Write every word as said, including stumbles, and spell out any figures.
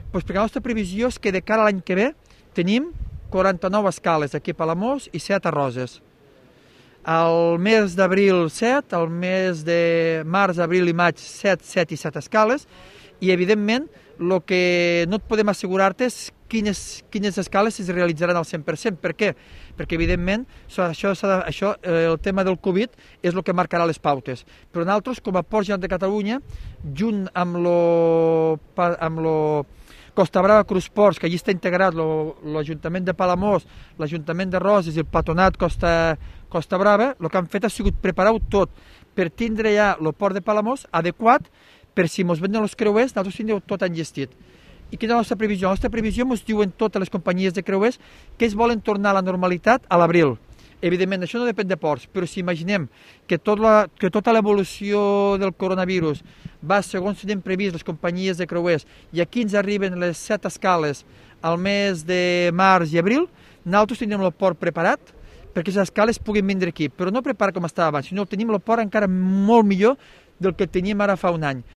Doncs perquè la nostra previsió és que de cara a l'any que ve tenim quaranta-nou escales aquí a Palamós i set a Roses. El mes d'abril set, el mes de març, abril i maig set, set i set escales, i evidentment el que no et podem assegurar-te és quines, quines escales es realitzaran al cent per cent. Per què? Perquè evidentment això, això, el tema del Covid és el que marcarà les pautes. Però nosaltres, com a Port General de Catalunya, junt amb lo, amb lo Costa Brava Crusports, que allí està integrat l'Ajuntament de Palamós, l'Ajuntament de Roses i el Patronat Costa, Costa Brava, el que han fet ha sigut preparar-ho tot per tindre ja el port de Palamós adequat per si ens venen els creuers, nosaltres tindreu tot enllestit. I quina és la nostra previsió? La nostra previsió ens diuen totes les companyies de creuers que es volen tornar a la normalitat a l'abril. Evidentment, això no depèn de ports, però si imaginem que, tot la, que tota l'evolució del coronavirus va segons tenen previst les companyies de creuers i aquí ens arriben les set escales al mes de març i abril, nosaltres tindrem el port preparat perquè les escales puguin vindre aquí, però no preparat com estava abans, sinó que tenim el port encara molt millor del que teníem ara fa un any.